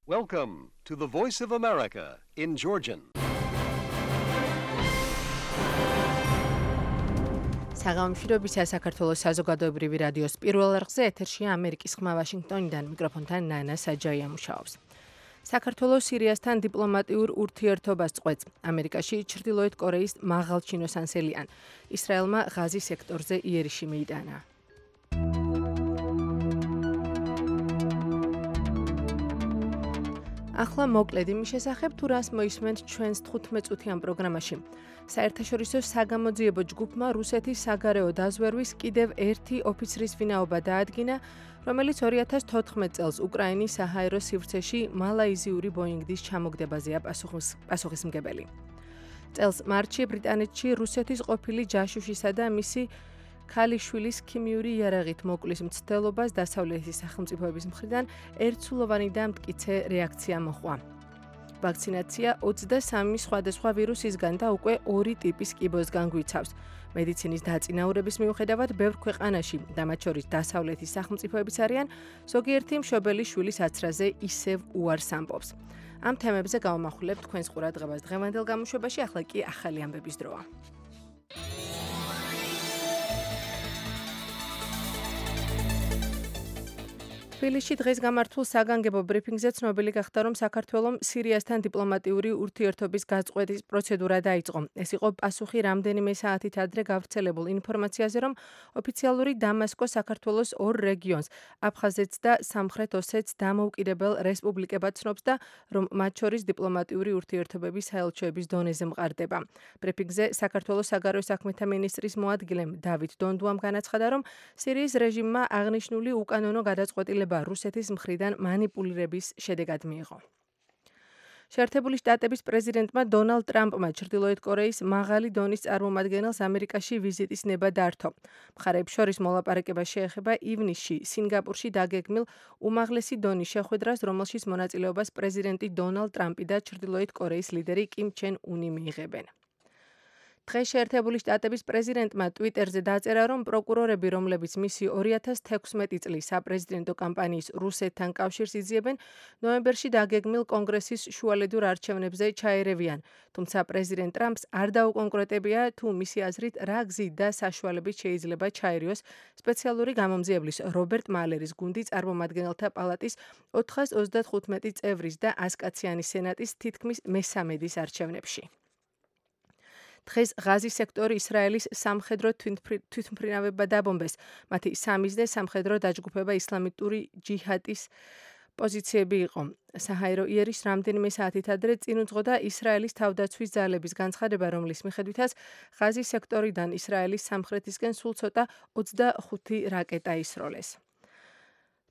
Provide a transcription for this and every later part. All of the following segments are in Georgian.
Welcome to the Voice of America in Georgian. საღამოშრობისა საქართველოს საზოგადოებრივი რადიოს პირველ არხზე ეთერშია ამერიკის ხმა ვაშინგტონიდან მიკროფონთან ნანა საჯაია მუშაობს. საქართველოს სირიასთან დიპლომატიურ ურთიერთობას წყვეტს. ამერიკაში ჩრდილოეთ კორეის მაღალჩინო სანსელიან ისრაელმა ღაზის სექტორზე იერიში მიიტანა. ახლა მოკლედ იმის შესახებ, თუ რას მოისმენთ ჩვენს 15-წუთიან პროგრამაში. საერთაშორისო საგამოძიებო ჯგუფმა რუსეთის საგარეო დაზვერვის კიდევ ერთი ოფიცრის ვინაობა დაადგინა, რომელიც 2014 წელს უკრაინის საჰაერო სივრცეში მალაიზიური ბოინგის ჩამოგდებაზეა პასუხისმგებელი. წელს მარტში ბრიტანეთში რუსეთის ყოფილი ჯაშუშისა და მისი ქალიშვილის ქიმიური იარაღით მოკლის მცდელობას დასავლეთის სახელმწიფოების მხრიდან ერთსულოვანი და მტკიცე რეაქცია მოჰყვა. ვაქცინაცია 23 სხვადასხვა ვირუსისგან და უკვე 2 ტიპის კიბოსგან გვიცავს. მედიცინის დაწინაურების მიუხედავად ბევრ ქვეყანაში და მათ შორის დასავლეთის სახელმწიფოებიც არიან, ზოგიერთი მშობელი შვილის აცრაზე ისევ უარს ამბობს. ამ თემებზე გავამახვილებთ თქვენს ყურადღებას დღევანდელ გამოშვებაში, ახლა კი ახალი ამბების დროა. თბილისში დღეს გამართულ საგანგებო ბრიფინგზე ცნობილი გახდა, რომ საქართველომ სირიასთან დიპლომატიური ურთიერთობის გაწყვეტის პროცედურა დაიწყო. ეს იყო პასუხი რამდენიმე საათით ადრე გავრცელებულ ინფორმაციაზე, რომ ოფიციალური დამასკო საქართველოს ორ რეგიონს, აფხაზეთს და სამხრეთ ოსეთს დამოუკიდებელ რესპუბლიკებად ცნობს და რომ მათ შორის დიპლომატიური ურთიერთობები საელჩოების დონეზე მყარდება. ბრიფინგზე საქართველოს საგარეო საქმეთა მინისტრის მოადგილემ დავით დონდუამ განაცხადა, რომ სირიის რეჟიმმა აღნიშნული უკანონო გადაწყვეტილება რუსეთის მხრიდან მანიპულირების შედეგად მიიღო. შეერთებული შტატების პრეზიდენტმა დონალდ ტრამპმა ჩრდილოეთ კორეის მაღალი დონის წარმომადგენელს ამერიკაში ვიზიტის ნება დართო. მხარეებს შორის მოლაპარაკება შეეხება ივნისში სინგაპურში დაგეგმილ უმაღლესი დონის შეხვედრას, რომელშიც მონაწილეობას პრეზიდენტი დონალდ ტრამპი და ჩრდილოეთ კორეის ლიდერი კიმ ჩენ უნი მიიღებენ. დღეს შეერთებული შტატების პრეზიდენტმა ტვიტერზე დაწერა, რომ პროკურორები, რომლებიც მისი 2016 წლის საპრეზიდენტო კამპანიის რუსეთთან კავშირს იძიებენ, ნოემბერში დაგეგმილ კონგრესის შუალედურ არჩევნებზე ჩაერევიან. თუმცა პრეზიდენტ ტრამპს არ დაუკონკრეტებია, თუ მისი აზრით რა გზით და საშუალებით შეიძლება ჩაერიოს სპეციალური გამომძიებლის რობერტ მალერის გუნდი წარმომადგენელთა პალატის 435 წევრის და 100 კაციანი სენატის თითქმის მესამედის არჩევნებში. დღეს ღაზის სექტორი ისრაელის სამხედრო თვითმფრინავებმა დაბომბეს. მათი სამიზნე სამხედრო დაჯგუფება ისლამიტური ჯიჰადის პოზიციები იყო. საჰაერო იერიშს რამდენიმე საათით ადრე წინ უძღოდა ისრაელის თავდაცვის ძალების განცხადება, რომლის მიხედვითაც ღაზის სექტორიდან ისრაელის სამხრეთისკენ სულ ცოტა 25 რაკეტა ისროლეს.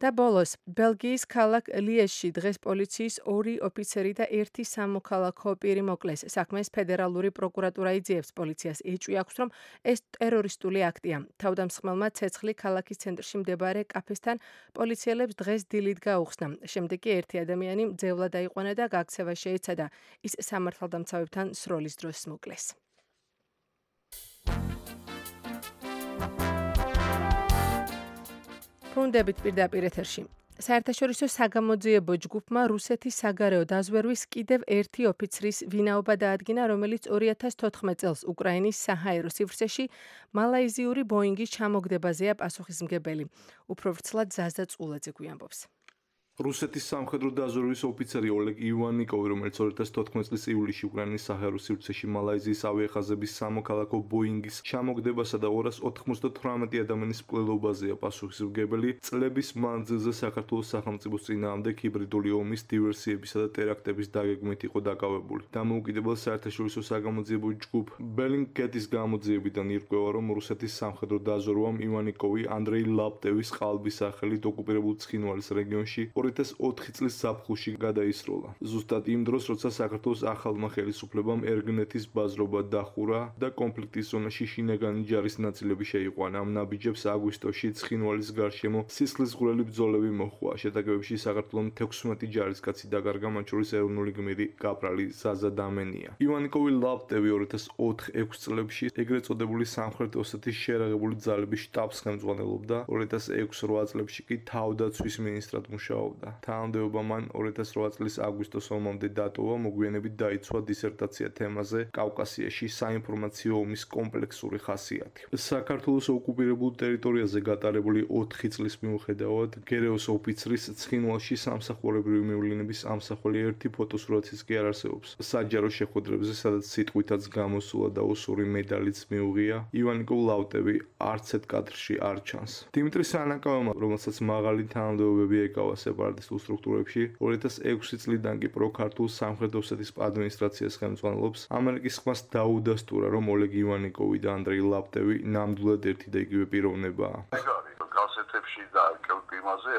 და ბოლოს, ბელგიის ქალაქ ლიეჟში დღეს პოლიციის 2 ოფიცერი და 1 სამოქალაქო პირი მოკლეს. საქმეს ფედერალური პროკურატურა იძიებს, პოლიციას ეჭვი აქვს, რომ ეს ტერორისტული აქტია. თავდამსხმელმა ცეცხლი ქალაქის ცენტრში მდებარე კაფესთან პოლიციელებს დღეს დილით გაუხსნა. შემდეგ კი ერთი ადამიანი მძევლად აიყვანა და გაქცევა შეეცადა. ის სამართალდამცავებთან სროლის დროს მოკლეს. ბრუნდებით პირდაპირ ეთერში. საერთაშორისო საგამოძიებო ჯგუფმა რუსეთის საგარეო დაზვერვის კიდევ ერთი ოფიცრის ვინაობა დაადგინა, რომელიც 2014 წელს უკრაინის საჰაერო სივრცეში მალაიზიური ბოინგის ჩამოგდებაზეა პასუხისმგებელი. უფრო ვრცლად ზაზა წულაძე გვიამბობს. რუსეთის სამხედრო დაზვერვის ოფიცერი ოლეგ ივანიკოვი, რომელიც 2014 წლის ივლისში უკრაინის საჰაერო სივრცეში მალაიზიის ავიახაზების სამოქალაქო ბოინგის ჩამოგდებასა და 298 ადამიანის მკვლელობაზეა პასუხისმგებელი, წლების მანძილზე საქართველოს სახელმწიფოს წინააღმდეგ ჰიბრიდული ომის დივერსიებისა და ტერაქტების დაგეგმით იყო დაკავებული. დამოუკიდებელ საერთაშორისო საგამოძიებო ჯგუფ ბელინგკეტის გამოძიებიდან ირკვევა, რომ რუსეთის სამხედრო დაზვერვამ ივანიკოვი ანდრეი ლაპტევის ყალბის სახელით ოკუპირებულ ცხინვალის რეგიონში 2004 წლის ზაფხულში გადაისროლა. ზუსტად იმ დროს, როცა საქართველოს ახალმა ხელისუფლებამ ერგნეთის ბაზრობა დახურა და კონფლიქტის ზონაში შინაგანი ჯარის ნაწილები შეიყვანა. ამ ნაბიჯებს აგვისტოში ცხინვალის გარშემო სისხლისღვრელი ბრძოლები მოჰყვა. შეტაკებებში საქართველომ 16 ჯარისკაცი დაკარგა, მათ შორის ეროვნული გმირი კაპრალი ზაზა დამენია. ივანიკოვი ლაპტევი 2004-6 წლებში ეგრეთ წოდებული სამხრეთ ოსეთის შერაღებული ძალების შტაბს ხელმძღვანელობდა, 2006-8 წლებში კი თავდაცვის მინისტრად მუშაობდა. მუშაობდა. თანამდებობა მან 2008 წლის აგვისტოს ომამდე დატოვა, მოგვიანებით დაიცვა დისერტაცია თემაზე კავკასიაში საინფორმაციო ომის კომპლექსური ხასიათი. საქართველოს ოკუპირებულ ტერიტორიაზე გატარებული 4 წლის მიუხედავად, გერეოს ოფიცრის ცხინვალში სამსახურებრივი მივლინების ამსახველი ერთი ფოტოსურათიც კი არ არსებობს. საჯარო შეხვედრებზე, სადაც სიტყვითაც გამოსულა და ოსური მედალიც მიუღია, ივანიკო ლავტევი არც ერთ კადრში არ ჩანს. დიმიტრი სანაკავმა, რომელსაც მაღალი თანამდებობები ეკავა სეპარატისტულ სტრუქტურებში, 2006 წლიდან კი პროქართულ სამხრეთ ოსეთის ადმინისტრაციას ხელმძღვანელობს. ამერიკის ხმას დაუდასტურა, რომ ოლეგ ივანიკოვი და ანდრეი ლავტევი ნამდვილად ერთი და იგივე პიროვნებაა. გასეთებში და კელპიმაზე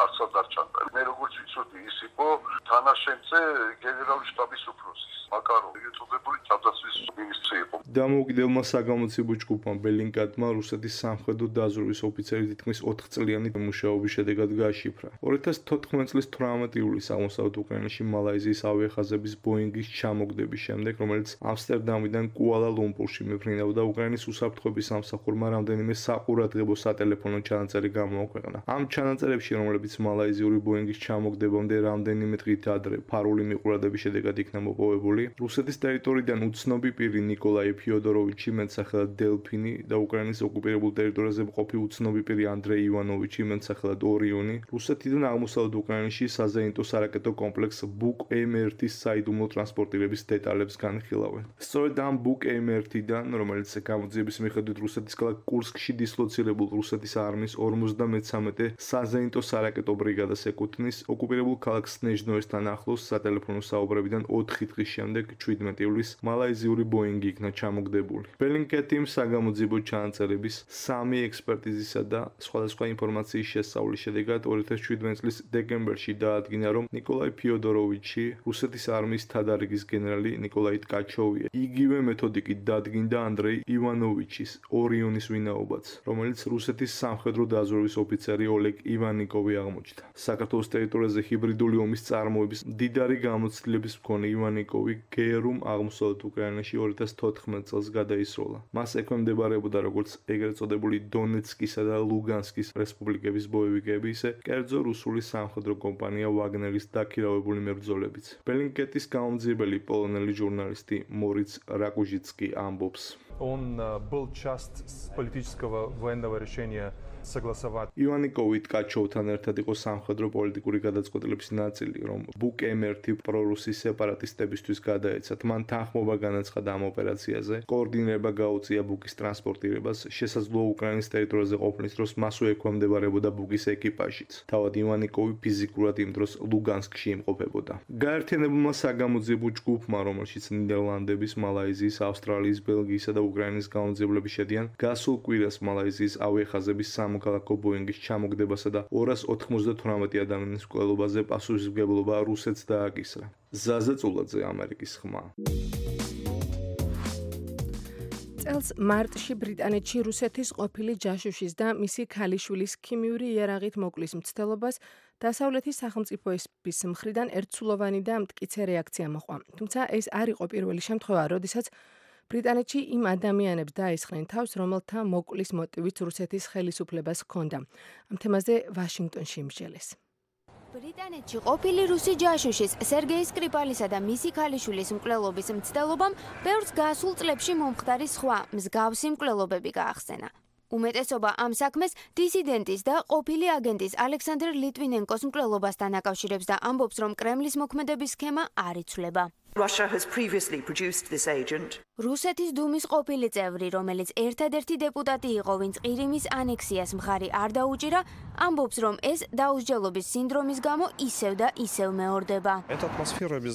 არცად არ ჩანდა. მე როგორც ვიცოდი, ის იყო თანაშემწე გენერალური შტაბის უფროსის მაკაროვი ეწოდებული თავდაცვის მინისტრი იყო. დამოუკიდებელმა საგამოცემო ჯგუფმა ბელინკატმა რუსეთის სამხედრო დაზვერვის ოფიცერი თითქმის 4 წლიანი მუშაობის შედეგად გააშიფრა. 2014 წლის 18 ივლისს აღმოსავლეთ უკრაინაში მალაიზიის ავიახაზების ბოინგის ჩამოგდების შემდეგ, რომელიც ამსტერდამიდან კუალა-ლუმპურში მიფრინავდა, უკრაინის უსაფრთხოების სამსახურმა რამდენიმე საყურადღებო სატელეფონო ჩანაწერი გამოაქვეყნა. ამ ჩანაწერებში, რომლებიც მალაიზიური ბოინგის ჩამოგდებამდე რამდენიმე დღით ადრე ფარული მიყურადების შედეგად იქნა მოპოვებული, რუსეთის ტერიტორიიდან უცნობი პირი ნიკოლაი ფიოდოროვიჩი, მეტსახელად დელფინი და უკრაინის ოკუპირებულ ტერიტორიაზე მყოფი უცნობი პირი ანდრეი ივანოვიჩი, მეტსახელად ორიონი, რუსეთიდან აღმოსავლეთ უკრაინაში საზეიმტო სარაკეტო კომპლექს ბუკ M1-ის საიდუმლო ტრანსპორტირების დეტალებს განხილავენ. სწორედ ამ ბუკ M1-დან, რომელიც გამოძიების მიხედვით რუსეთის ქალაქ კურსკში დისლოცირებულ რუსეთის არმიის 53 საზეიმტო სარაკეტო ბრიგადას ეკუთვნის, ოკუპირებულ ქალაქ სნეჟნოესთან ახლოს სატელეფონო საუბრებიდან 4 დღის შემდეგ 17 ივლისს მალაიზიური ბოინგი იქნა ჩამოგდებული. ბელინკეტიმ საგამოძიებო ჩანაწერების 3 ექსპერტიზისა და სხვადასხვა ინფორმაციის შესწავლის შედეგად 2017 წლის დეკემბერში დაადგინა, რომ ნიკოლაი ფიოდოროვიჩი რუსეთის არმიის თადარიგის გენერალი ნიკოლაი ტკაჩოვია. იგივე მეთოდიკით დადგინდა ანდრეი ივანოვიჩის ორიონის ვინაობაც, რომელიც რუსეთის სამხედრო დაზვერვის ოფიცერი ოლეგ ივანიკოვი აღმოჩნდა. საქართველოს ტერიტორიაზე ჰიბრიდული ომის წარმოების მდიდარი გამოცდილების მქონე ივანიკოვი გერუმ აღმოსავლეთ უკრაინაში 2014 წელს გადაისროლა. მას ექვემდებარებოდა როგორც ეგრეთ წოდებული დონეცკისა და ლუგანსკის რესპუბლიკების ბოევიკები, ისე კერძო რუსული სამხედრო კომპანია ვაგნერის დაქირავებული მებრძოლებიც. ბელინკეტის გამომძიებელი პოლონელი ჟურნალისტი მორიც რაკუჟიცკი ამბობს. Он был часть политического военного решения согласовать. ივანიკოვი ტკაჩოვთან ერთად იყო სამხედრო პოლიტიკური გადაწყვეტილების ნაწილი, რომ ბუკ M1 პრორუსის სეპარატისტებისთვის გადაეცათ. მან თანხმობა განაცხადა ამ ოპერაციაზე, კოორდინირება გაუწია ბუკის ტრანსპორტირებას, შესაძლოა უკრაინის ტერიტორიაზე ყოფნის დროს მასვე ექვემდებარებოდა ბუკის ეკიპაჟიც. თავად ივანიკოვი ფიზიკურად იმ დროს ლუგანსკში იმყოფებოდა. გაერთიანებულმა საგამოძიებო ჯგუფმა, რომელშიც ნიდერლანდების, მალაიზიის, ავსტრალიის, ბელგიისა და უკრაინის გამომძიებლები შედიან, გასულ კვირას მალაიზიის ავიახაზების სამოქალაქო ბოინგის ჩამოგდებასა და 298 ადამიანის მკვლელობაზე პასუხისმგებლობა რუსეთს დააკისრა. ზაზა წულაძე, ამერიკის ხმა. წელს მარტში ბრიტანეთში რუსეთის ყოფილი ჯაშუშის და მისი ქალიშვილის ქიმიური იარაღით მოკლის მცდელობას დასავლეთის სახელმწიფოების მხრიდან ერთსულოვანი და მტკიცე რეაქცია მოჰყვა. თუმცა ეს არ იყო პირველი შემთხვევა, როდესაც ბრიტანეთში იმ ადამიანებს დაესხნენ თავს, რომელთა მოკლის მოტივიც რუსეთის ხელისუფლებას ჰქონდა. ამ თემაზე ვაშინგტონში იმსჯელეს. ბრიტანეთში ყოფილი რუსი ჯაშუშის სერგეი სკრიპალისა და მისი ქალიშვილის მკვლელობის მცდელობამ ბევრს გასულ წლებში მომხდარი სხვა მსგავსი მკვლელობები გაახსენა. უმეტესობა ამ საქმეს დისიდენტის და ყოფილი აგენტის ალექსანდრ ლიტვინენკოს მკვლელობასთან აკავშირებს და ამბობს, რომ კრემლის მოქმედების სქემა არ იცვლება. Russia has previously produced this agent. რუსეთის დუმის ყოფილი წევრი, რომელიც ერთადერთი დეპუტატი იყო, ვინც ყირიმის ანექსიას მხარი არ დაუჭირა, ამბობს, რომ ეს დაუსჯელობის სინდრომის გამო ისევ და ისევ მეორდება.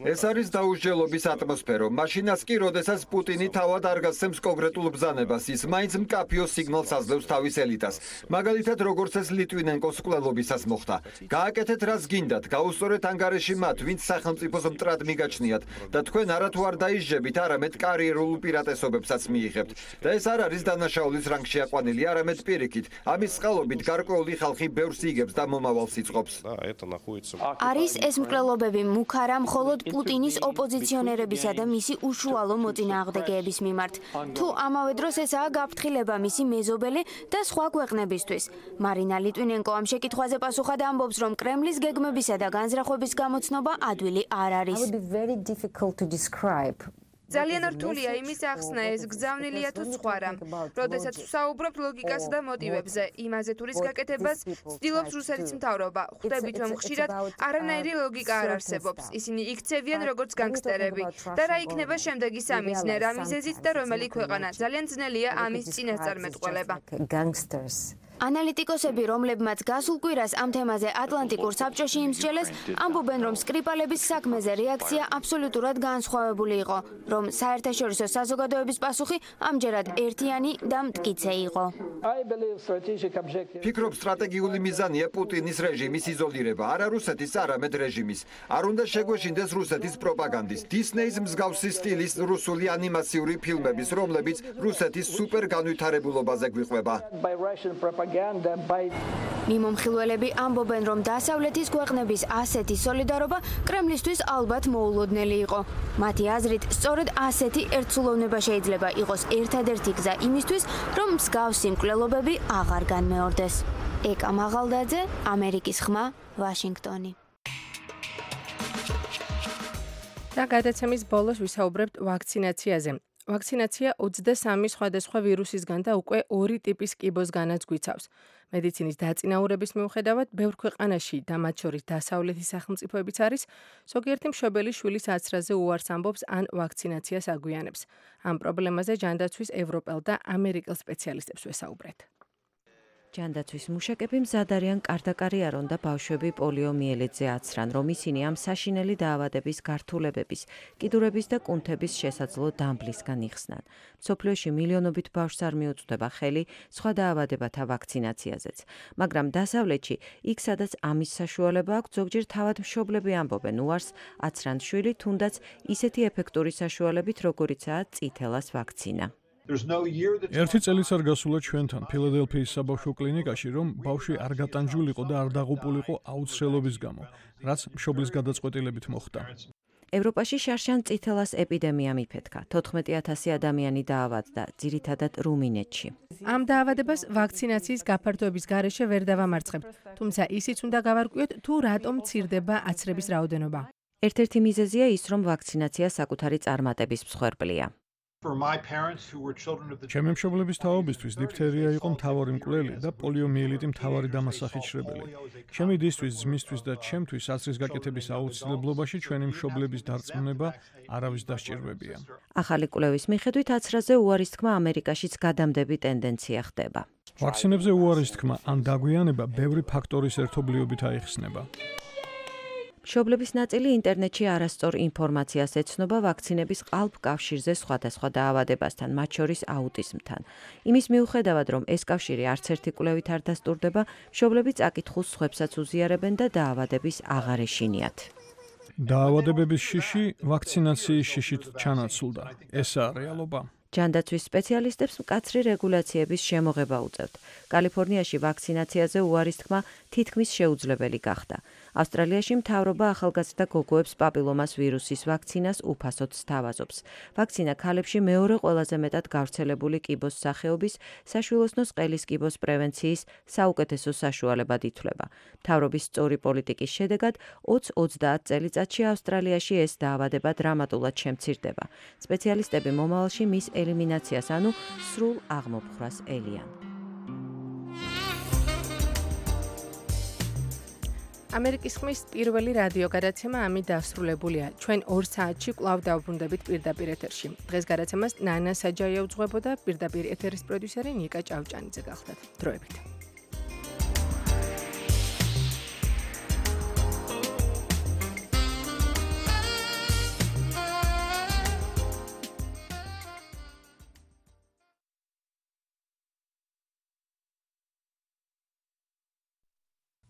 ეს არის დაუსჯელობის ატმოსფერო. მაშინაც კი, როდესაც პუტინი თავად არ გასცემს კონკრეტულ ბრძანებას, ის მაინც მკაფიო სიგნალს აძლევს თავის ელიტას. მაგალითად, როგორც ეს ლიტვინენკოს მკვლელობისას მოხდა. გააკეთეთ რაც გინდათ, გაუსწორეთ ანგარიში მათ, ვინც სახელმწიფოს მტრად მიგაჩნიათ და თქვენ არათუ არ დაისჯებით, არამედ კარიერულ ისტორიულ უპირატესობებსაც მიიღებთ და ეს არ არის დანაშაულის რანგში აყვანილი, არამედ პირიქით. ამის წყალობით გარკვეული ხალხი ბევრს იგებს და მომავალს იწყობს. არის ეს მკვლელობები მუქ არა მხოლოდ პუტინის ოპოზიციონერებისა და მისი უშუალო მოწინააღმდეგეების მიმართ. თუ ამავე დროს ესაა გაფრთხილება მისი მეზობელი და სხვა ქვეყნებისთვის. მარინა ლიტვინენკო ამ შეკითხვაზე პასუხად ამბობს, რომ კრემლის გეგმებისა და განზრახვების გამოცნობა ადვილი არ არის. ძალიან რთულია იმის ახსნა, ეს გზავნილია თუ სხვა რამ. როდესაც ვსაუბრობ ლოგიკასა და მოტივებზე, იმაზე თუ რის გაკეთებას ცდილობს რუსეთის მთავრობა, ხვდებით, რომ ხშირად არანაირი ლოგიკა არ არსებობს. ისინი იქცევიან როგორც განგსტერები და რა იქნება შემდეგი სამიზნე, რა მიზეზით და რომელი ქვეყანა. ძალიან ძნელია ამის წინასწარმეტყველება. ანალიტიკოსები, რომლებმაც გასულ კვირას ამ თემაზე ატლანტიკურ საბჭოში იმსჯელეს, ამბობენ, რომ სკრიპალების საქმეზე რეაქცია აბსოლუტურად განსხვავებული იყო, რომ საერთაშორისო საზოგადოების პასუხი ამჯერად ერთიანი და მტკიცე იყო. ფიქრობ, სტრატეგიული მიზანია პუტინის რეჟიმის იზოლირება, არა რუსეთის, არამედ რეჟიმის. არ უნდა შეგვეშინდეს რუსეთის პროპაგანდის. დისნეის მსგავსი სტილის რუსული ანიმაციური ფილმების, რომლებიც რუსეთის სუპერ განვითარებულობაზე გვიყვება. მიმომხილველები ამბობენ, რომ დასავლეთის ქვეყნების ასეთი სოლიდარობა კრემლისთვის ალბათ მოულოდნელი იყო. მათი აზრით, სწორედ ასეთი ერთსულოვნება შეიძლება იყოს ერთადერთი გზა იმისთვის, რომ მსგავსი მკვლელობები აღარ განმეორდეს. ეკა მაღალდაძე, ამერიკის ხმა, ვაშინგტონი. და გადაცემის ბოლოს ვისაუბრებთ ვაქცინაციაზე. ვაქცინაცია 23 სხვადასხვა ვირუსისგან და უკვე 2 ტიპის კიბოსგანაც გვიცავს. მედიცინის დაწინაურების მიუხედავად, ბევრ ქვეყანაში და მათ შორის დასავლეთის სახელმწიფოებიც არის, ზოგიერთი მშობელი შვილის აცრაზე უარს ამბობს ან ვაქცინაციას აგვიანებს. ამ პრობლემაზე ჯანდაცვის ევროპელ და ამერიკელ სპეციალისტებს ვესაუბრეთ. ჯანდაცვის მუშაკები მზად არიან კარდაკარიარონ და ბავშვები პოლიომიელიტზე აცრან, რომ ისინი ამ საშინელი დაავადების გართულებების, კიდურების და კუნთების შესაძლო დამბლისგან იხსნან. მსოფლიოში მილიონობით ბავშვს არ მიუწვდება ხელი სხვა დაავადებათა ვაქცინაციაზეც. მაგრამ დასავლეთში, იქ სადაც ამის საშუალება აქვს, ზოგჯერ თავად მშობლები ამბობენ უარს აცრან შვილი, თუნდაც ისეთი ეფექტური საშუალებით, როგორიცაა წითელას ვაქცინა. ერთი წელიც არ გასულა ჩვენთან ფილადელფიის საბავშვო კლინიკაში, რომ ბავშვი არ გატანჯულიყო და არ დაღუპულიყო აუცილებლობის გამო, რაც მშობლის გადაწყვეტილებით მოხდა. ევროპაში შარშან წითელას ეპიდემია მიფეთქა. 14,000 ადამიანი დაავადდა, ძირითადად რუმინეთში. ამ დაავადებას ვაქცინაციის გაფართოების გარეშე ვერ დავამარცხებთ, თუმცა ისიც უნდა გავარკვიოთ, თუ რატომ მცირდება აცრების რაოდენობა. ერთ-ერთი მიზეზია ის, რომ ვაქცინაცია საკუთარი წარმატების მსხვერპლია. ჩემი მშობლების თაობისთვის დიფთერია იყო მთავარი მკვლელი და პოლიომიელიტი მთავარი დამასახიჩრებელი. ჩემი დისთვის, ძმისთვის და ჩემთვის აცრის გაკეთების აუცილებლობაში ჩვენი მშობლების დარწმუნება არავის დასჭირვებია. ახალი კვლევის მიხედვით აცრაზე უარის თქმა ამერიკაშიც გადამდები ტენდენცია ხდება. ვაქცინებზე უარის თქმა ან დაგვიანება ბევრი ფაქტორის ერთობლიობით აიხსნება. მშობლების ნაწილი ინტერნეტში არასწორ ინფორმაციას ეცნობა ვაქცინების ყალბ-კავშირზე სხვადასხვა დაავადებასთან, მათ შორის აუტიზმთან. იმის მიუხედავად, რომ ეს კავშირი არც ერთი კვლევით არ დასტურდება, მშობლები წაკითხულს სხვებსაც უზიარებენ და დაავადების აღარ ეშინიათ. დაავადებების შიში ვაქცინაციის შიშით ჩანაცვლდა. ესაა რეალობა. ჯანდაცვის სპეციალისტებს მკაცრი რეგულაციების შემოღება უწევთ. კალიფორნიაში ვაქცინაციაზე უარის თქმა თითქმის შეუძლებელი გახდა. ავსტრალიაში მთავრობა ახალგაზრდა გოგოებს პაპილომას ვირუსის ვაქცინას უფასოდ სთავაზობს. ვაქცინა ქალებში მეორე ყველაზე მეტად გავრცელებული კიბოს სახეობის საშვილოსნოს ყელის კიბოს პრევენციის საუკეთესო საშუალებად ითვლება. მთავრობის სწორი პოლიტიკის შედეგად 20-30 წელიწადში ავსტრალიაში ეს დაავადება დრამატულად შემცირდება. სპეციალისტები მომავალში მის ელიმინაციას, ანუ სრულ აღმოფხვრას ელიან. ამერიკის ხმის პირველი რადიო გადაცემა ამით დასრულებულია. ჩვენ 2 საათში კვლავ დავბრუნდებით პირდაპირ ეთერში. დღეს გადაცემას ნანა საჯაია უძღვებოდა, პირდაპირ ეთერის პროდიუსერი ნიკა ჭავჭანიძე გახლდათ. დროებით.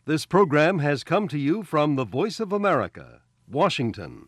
This program has come to you from the Voice of America, Washington.